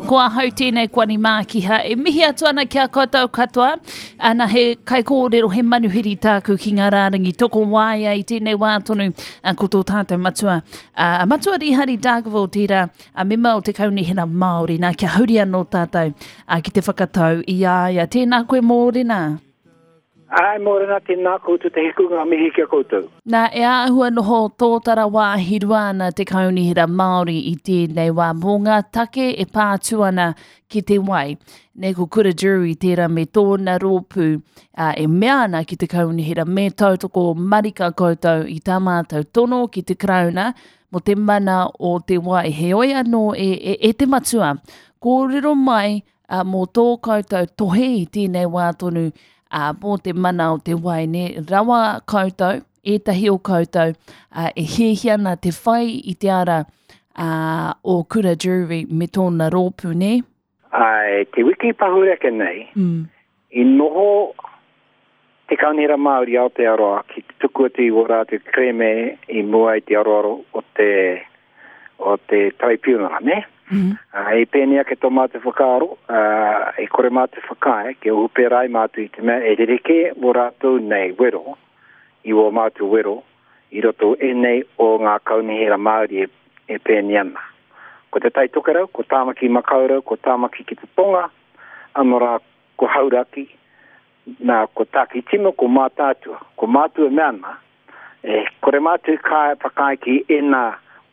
Ko ahau tēnei ko Ani Mākiha e mihi atu ana ki a koutou katoa. Ana he kaikōrero, he manuhiri tāku ki ngā rārangi tokowaea i tēnei wā tonu ko tō tātou matua. A Matua Rīhari Dargaville tērā, a mema o te Kaunihera Māori. Nā, kia huri anō tātou ki te whakatau i a ia. Tēnā koe Mōrena. Āe, mōrena, tēnā koutou te hiku ngā mihi ki a koutou. Nā, e āhua noho tōtara wāhi rua ana te Kaunihera Māori i tēnei wā mō ngā take e pā atu ana ki te wai. Nei ko Kura Jury tērā me tōna rōpū ā, e mea ana ki te Kaunihera me tautoko marika koutou i tā mātou tono ki te Karauna mō te mana o te wai. Heoi anō e, e, e te matua, kōrero mai ā, mō tō koutou tohe i tēnei wā tonu, ā, mō te mana o te wai, nē, rawa koutou, ētahi o koutou, ā, e hiahia ana te whai i te ara, ā, o Kura Drury me tōna rōpū, nē? Āe, te wiki pahure ake nei, mm. i noho te Kaunihera Māori Aotearoa ki te tuku atu i wō rātou kerēme i mua i te aroaro o te, o te taraipiunara, nē? Mm -hmm. Uh, i pēnei ake tō mātou whakaaro, uh, e kore mātou whakaae, kia ohu pērā ai mātou i te mea e rerekē wō rātou nei wero, i wō mātou wero, i roto ēnei o ngā kaunihera Māori e, e pēnei ana. Ko Te Tai Tokerau, ko Tāmaki Makaurau, ko Tāmaki ki te Tonga, anō rā ko Hauraki, Nā, ko Tākitimu, ko Mātaatua. Ko mātou e mea ana, e kore mātou i ka whakaae ki ēnā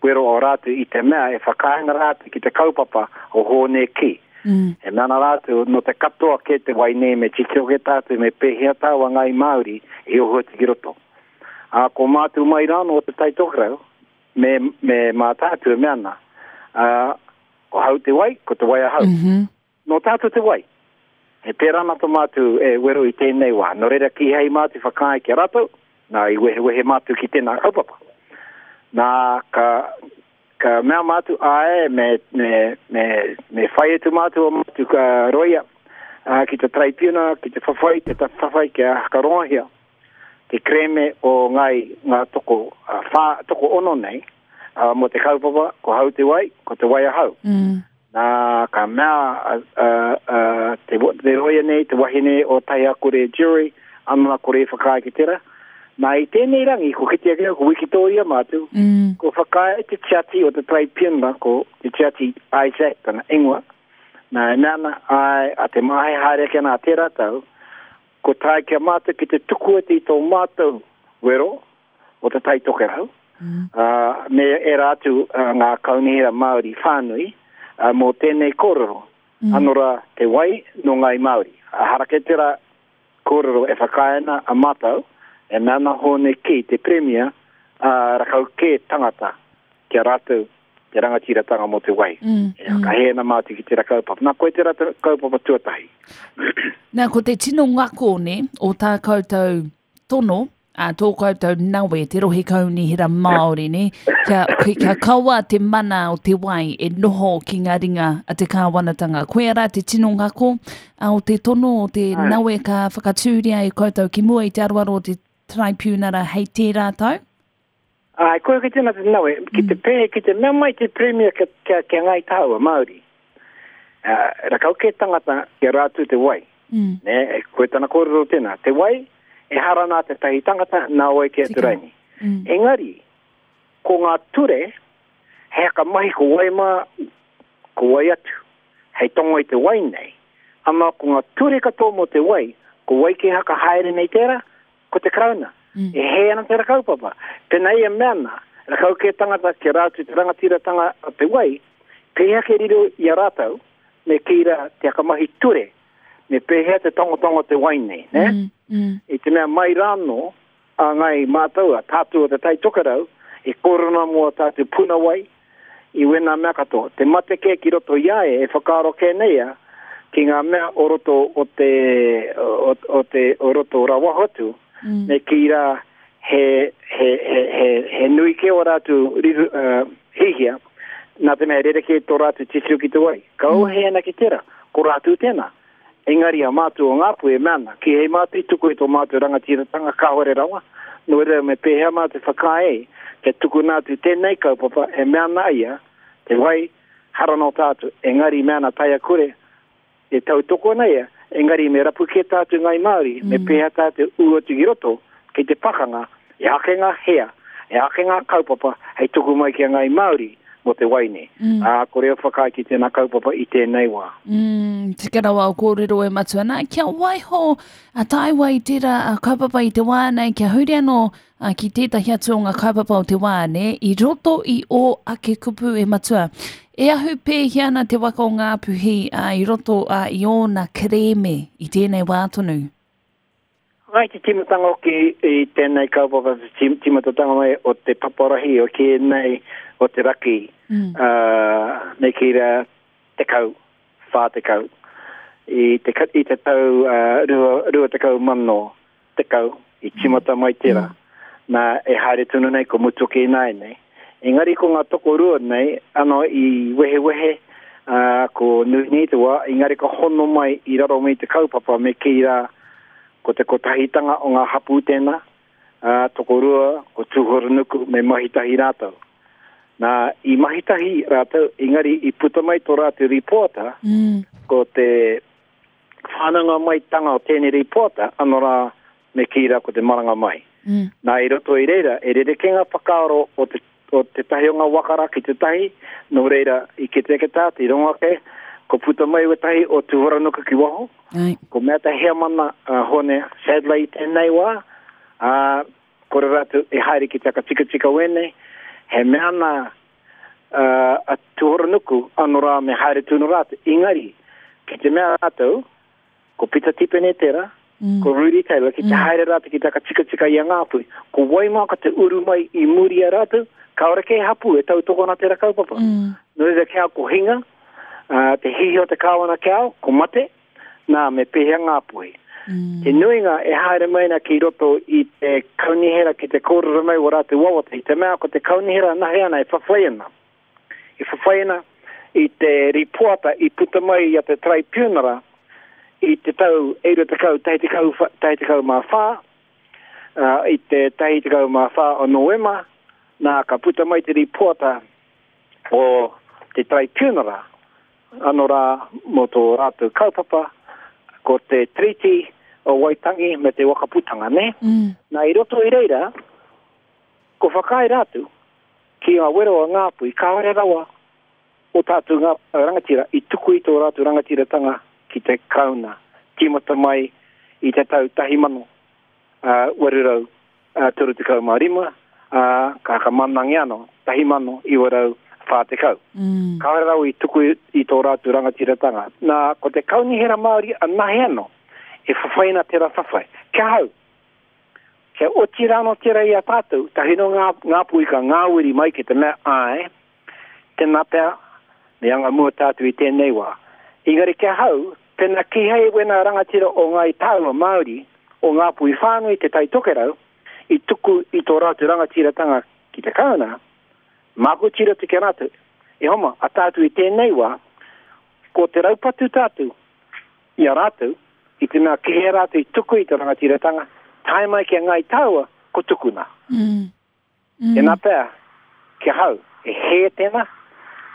wero o rātou i te mea e whakaae ana rātou ki te kaupapa o Hōne Kī. Mm. E mea ana rātou, nō te katoa kē te wai nei me titiro kē tātou me pēhea tāua Ngāi Māori i ohu atu ki roto. Ā, ko mātou mai rānō o Te Tai Tokerau, me, me Mātaatua e mea ana, ā, ko hau te wai, ko te wai ahau. Mm -hmm. Nō tātou te wai. E pērā ana tō mātou e wero i tēnei wā. Nō reira kīhai mātou i whakaae ki a rātou, nā i wehewehe mātou ki tēnā kaupapa. Nā, ka, ka mea mātou, āe, me, me, me, me whai atu mātou o mātou ka roia ā, ki te taraipiuna, ki te whawhai, te whawhai kia whakarongohia te kerēme o Ngāi ngā toko, ā, whā, toko ono nei, ā, mō te kaupapa, ko hau te wai, ko te wai ahau. Mm. Nā, ka mea a, a, a, te, te roia nei, te wahine o Taiakore Jury, anona kore i whakaae ki tera. Nā, i tēnei rangi, ko kite ake, ko Wikitoria mātou, mm. ko whakaae te tiati o te Taraipiunara, ko te tiati Isaac tana ingoa. Nā, e mea ana, ai, a te māhe haere ake ana a tērā tau, ko tae ki a mātou ki te tuku atu i tō mātou wero, o Te Tai Tokerau, mm. uh, me ērā atu uh, ngā kaunihera Māori whānui uh, mō tēnei kōrero. Mm. Ano rā, te wai nō Ngāi Māori. Uh, harake tērā kōrero e whakaae ana a mātou, e mea ana Hōne Kī, te Premia, uh, rakau kē tangata ki a rātou te rangatiratanga mō te wai. Mm, e whakahē ana mātou ki tērā kaupapa. Nā, koe tērā kaupapa tuatahi. Nā, ko te tino ngako, ne, o tā koutou tono, a tō koutou nawe, te rohe kaunihera Māori, ne? Kia, kia kaua te mana o te wai e noho ki ngā ringa a te kāwanatanga. Koia rā te tino ngako a, o te tono o te Ai. nawe ka whakatūria e koutou ki mua i te aroaro o te Traipiunara hei tērā tau? Ai, koe ki tēnā te nawe, ki te mm. pē, ki te mea mai te Premier kia, kia, kia ngai tāua, Māori. Uh, rakau ke tangata kia rātou te wai. Mm. Ne, koe tana kōrero tēnā. Te wai, e hara nā te tahi tangata, nā wai ki atu raini. Mm. Engari, ko ngā ture, he haka mahi ko wai mā, ko wai atu, hei tongo i te wai nei. Ama ko ngā ture katoa mō te wai, ko wai ke haka haere nei tērā, ko te Karauna. Mm. E hē ana tērā kaupapa. Pēnā ia mea ana, rakau kē tangata kia rātou te rangatiratanga o te wai, pēhea ke riro i a rātou, me kī rā te hakamahi ture, me pēhea te tangotango te wai nei, ne? Mm, mm. I te mea mai rānō, a ngai mātou, a tātou o te Tai Tokerau, e kōrero ana mō a tātou puna wai, i wēnā mea katoa. Te mate kē ki roto i a ia, e whakaaro kē nei ia, ki ngā mea o roto o te, o, o te, o roto o rawaho atu, mm. me kī rā, he, he, he, he, he nui kē o rātou riru, uh, hihia, nā te mea rerekē tō rātou titiro ki te wai. Ka mm. ohe ana ki tērā, ko rātou tēnā. Engari a mātou o Ngāpuhi e mea ana, kīhei mātou i tuku i tō mātou rangatiratanga kāore rawa, nō reira me pēhea mātou whakaae kia tukuna atu tēnei kaupapa e mea ana ia, te wai, Hara nō tātou, engari me ana taea kore, e tautoko ana ia, engari me rapu kē tātou Ngāi Māori, me pēhea tātou ū atu ki roto, ki te pakanga, e ake ngā hea, e ake ngā kaupapa hei tuku mai ki a Ngāi Māori mō te wai nei. Ā, kore au whakaae ki tēnā kaupapa i tēnei wā. Mm, tika rawa o kōrero e matua nā, kia waiho a tāua i tērā kaupapa i te wā nei, kia huri anō ā, ki tētahi atu o ngā kaupapa o te wā, nē, i roto i ō ake kupu e matua. E ahu pēhea ana te waka o Ngāpuhi, ā, i roto, ā, i ōna kerēme i tēnei wā tonu? Mai te tīmatanga hoki i tēnei kaupapa, te tīmatatanga mai o te paparahi o kē nei o te raki, ā, me kī rā, 10, 40, i te, i te tau 20 10 i tīmata mai tērā. Nā, e haere tonu nei, ko mutu ake ināianei. Engari ko ngā tokorua nei, ano i wehewehe, ā, ko nui nei te wā, engari ka hono mai i raro mai i te kaupapa me kī rā, ko te kotahitanga o ngā hapū tēnā, ā, tokorua, ko Tūhoronuku me mahi tahi rātou. Nā, i mahi tahi rātou, engari i puta mai tō rātou rīpoata, ko te whānanga maitanga o tēnei rīpoata, ano rā, me kī rā ko te maranga mai. Mm. Nā, i roto i reira, e rerekē ngā whakaaro o te, o tētahi o ngā waka rā ki tētahi, nō reira, i kite ake tātou, i rongo ake, ko puta mai wētahi o Tūhoranuku ki waho, Ai. ko mea te heamana uh, Hone Sadler i tēnei wā, ā, kore rātou e haere ki te whakatikatika wēnei, he mea nā, a Tuhoronuku ano rā me haere tunu rātou. Engari, ki te mea rātou, ko Pita Tipene tera, mm. ko Rudy Taylor, ki te mm. haere rātou ki te whakatikatika i a Ngāpuhi, ko wai mā ka te uru mai i muri a rātou, kāore kē hapū e tautoko ana tera kaupapa. Mm. Nō reira kia ko hinga, uh, te hihi o te kāwana kia au, ko mate, nā, me pēhea Ngāpuhi. Mm. Te nuinga e haere mai ana ki roto i te kaunihera ki te kōrero mai o rātou wawata, i te mea ko te kaunihera anahe ana e whawhai ana. E whawhai ana i te rīpoata i puta mai i a te Taraipiunara i te tau 90, 14, i te 14 o Noema, nā ka puta mai te rīpoata o te Taraipiunara Ano rā mō tō rātou kaupapa, ko te Tiriti o Waitangi me te Wakaputanga, nē? Mm. Nā, i roto i reira, ko whakaae rātou ki ngā wero a Ngāpuhi, kāore rawa o tātou ngā rangatira i tuku i tō rātou rangatiratanga ki te Karauna, tīmata mai i te tau 1800 35, ā, ka whakamanangia anō, 1940. Mm. Kāore rawa i tuku i tō rātou rangatiratanga. Nā, ko te Kaunihera Māori anahe anō, e whawhai ana tērā whawhai. Kia hau, kia oti rānō tērā i a tātou, tahi nō ngā, ngā puika, ngā wiri mai ki te mea, āe, tēnā pea, me anga mua tātou i tēnei wā. Engari kia hau, pēnā kīhai wēnā rangatira o Ngāi Tāua Māori, o Ngāpuhi whānui Te Tai Tokerau, i tuku i tō rātou rangatiratanga ki te Karauna, māku tiro atu ki a rātou, e homa, a tātou i tēnei wā, ko te raupatu tātou i a rātou, i te mea kīhai rātou i tuku i te rangatiratanga, tae mai ki a Ngāi Tāua, ko tukuna. Mm. Mm. Tēnā pea, ki ahau, e hē tēnā,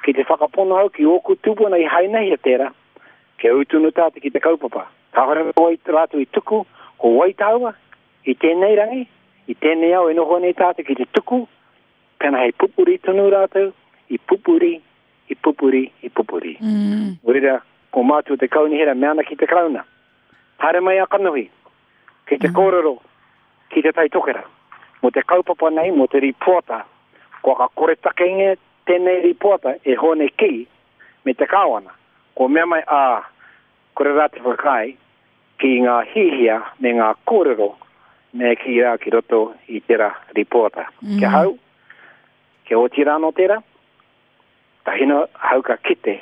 ki te whakapono au ki ōku tūpuna i hainahia tērā, kia ū tonu tātou ki te kaupapa. Kāore rawa i rātou i tuku, ko wai tāua, i tēnei rangi, i tēnei ao e noho nei tātou ki te tuku, pēnā hei pupuri tonu rātou, i pupuri, i pupuri, i pupuri. Mm. Nō reira, ko mātou te kaunihera mea ana ki te Karauna. Haere mai a kanohi, ki te mm. kōrero, ki Te Tai Tokerau. Mō te kaupapa nei, mō te rīpoata, kua ka koretakengia tēnei rīpoata e Hōne Kī me te Kāwana, kua mea mai ā, kore rā te whakaae ki ngā hihia me ngā kōrero me kī rā ki roto i tērā rīpoata. Mm. Ki ahau, kia oti rānō tērā, tahina ahau ka kite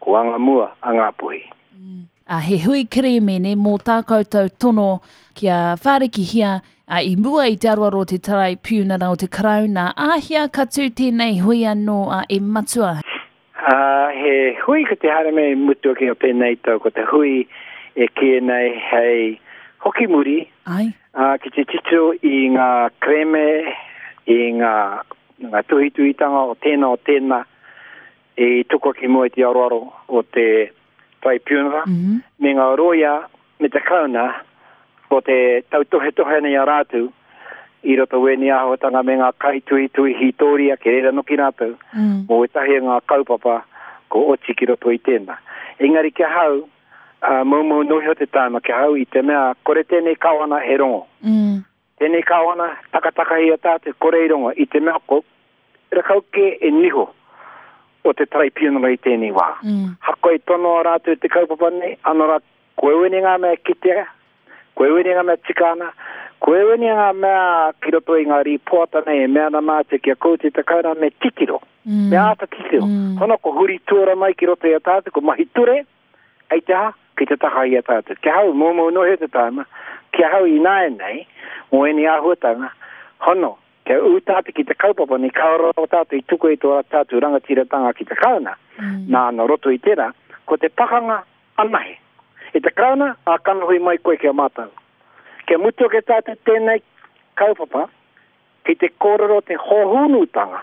Ko anga mua a Ngāpuhi. Ā, he hui kerēmene mō tā koutou tono kia whārikihia, ā, i mua i te aroaro o te Taraipiunara o te Karauna, āhea ka tū tēnei hui anō, ā, e Matua? Ā, he hui ko te haere mai mutu ake o tēnei tau, ko te hui e kīia nei hei hoki muri, Ai. ā, ki te titiro i ngā kerēme, i ngā, ngā tuhituhitanga o tēnā, o tēnā. I tukua ki mua i te aroaro o te Tribunal mm -hmm. me ngā rōia me te Karauna ko te tautohetohe ana i a rātou i roto wēnei āhuatanga me ngā kaituhituhi hītōria ki reira noki rātou mm. mō wētahi o ngā kaupapa ko oti ki roto i tēnā. Engari ki ahau, uh, moumou noa iho te tāima ki ahau i te mea kore tēnei kawana he rongo. Mm. Tēnei kāwana, takatakahia tātou, kore i rongo, i te mea ko rakau kē e niho o te taraipiunara i tēnei wā. Mm. Hakoa i tonoa rātou te kaupapa nei, ano rā, ko ewene ngā mea kitea, ko ewene ngā mea tika ana, ko ewene ngā mea ki roto i ngā rīpoata nei e mea ana mātou ki a koutou te kauna me titiro, mm. me āta titiro. Mm. Hono ko huri tuara mai ki roto i a tātou, ko mahi ture, Hei te aha? Kei te taha i a tātou. Ki ahau, moumou noa iho te tāima, ki ahau ināianei, mō ēnei āhuatanga, hono, kia ū tātou ki te kaupapa nei, kāore rawa tātou i tuku i tō tātou rangatiratanga ki te Karauna, nā, nō roto i tērā, ko te pakanga anahe. E te Karauna, ā kanohi mai koe ki a mātou. Kia mutu ake tātou tēnei kaupapa, Kei te kōrero te hōhonutanga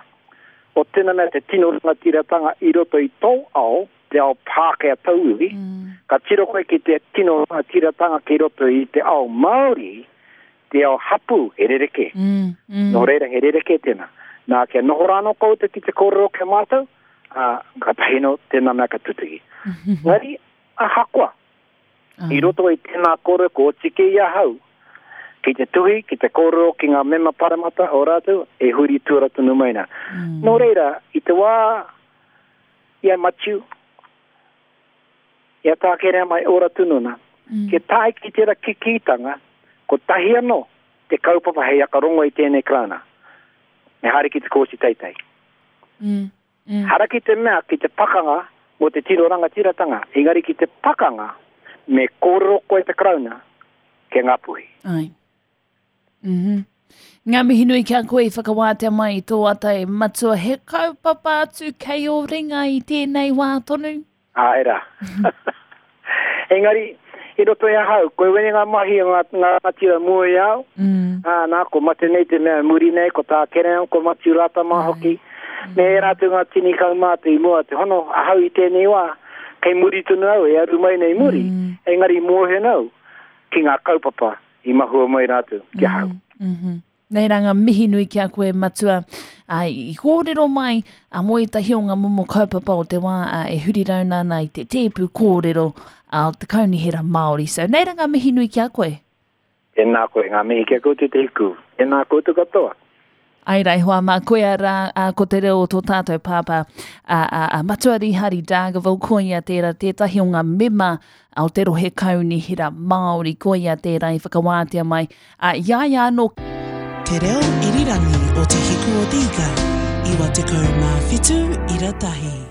o tēnā mea te tino rangatiratanga i roto i tō ao, te ao Pākehā tauiwi, ka tiro koe ki te tino rangatiratanga ki roto i te ao Māori, te ao hapū, he rerekē. Nō reira, he rerekē tēnā. Nā, kia noho rā anō koutou ki te kōrero ki a mātou, ā, kātahi anō tēnā mea ka tutuki. Engari, ahakoa, I roto i tēnā kōrero kua oti kē i ahau ki te tuhi, ki te kōrero ki ngā mema paremata o rātou e huri tuara tonu mai nā. Nō reira, i te wā i a Matiu, i a Tā Kereama e ora tonu ana, kia tae ki tērā kikītanga, kotahi anō te kaupapa hei akarongo i tēnei Karauna, me haere ki te Kōti Teitei. Hara ki te mea ki te pakanga mō te tino rangatiratanga, engari ki te pakanga me kōrero koe te Karauna ki a Ngāpuhi. Ai. Mm -hmm. Ngā mihi nui ki a koe i whakawātea mai i tō ata e matua he kaupapa atu kei ō ringa i tēnei wā tonu. Āe rā. Engari, i roto i ahau, koe wene ngā mahi o ngā, ngā rangatira mua i au, mm. ā, nā, ko mate nei te mea muri nei, ko tā Kereama, ko Matiu Rata mā hoki, mm. me ērā atu ngā tini kaumātua i mua te hono ahau i tēnei wā, kei muri tonu au, e aru mai nei muri, mm. engari mōhio nau ki ngā kaupapa i mahua mai rātou ki ahau. Mm -hmm. Nei rā ngā mihi nui ki a koe Matua ā, i kōrero mai ā, mō ētahi o ngā momo kaupapa o te wā ā, e huri rauna ana i te tēpu kōrero ā, o te Kaunihera Māori. So, nei rā ngā mihi nui ki a koe. Tēnā koe, ngā mihi ki a koutou te hiku. Tēnā koutou katoa. Ai rā e hoa mā, koia rā ā, ko te reo o tō tātou pāpā ā, ā, ā, Matua Rīhari Dargaville, koia tērā tētahi o ngā mema o te rohe kaunihera Māori, koia tērā i whakawātea mai Ā, i a ia anō. Te reo irirangi o Te Hiku o te Ika, 97 ira tahi.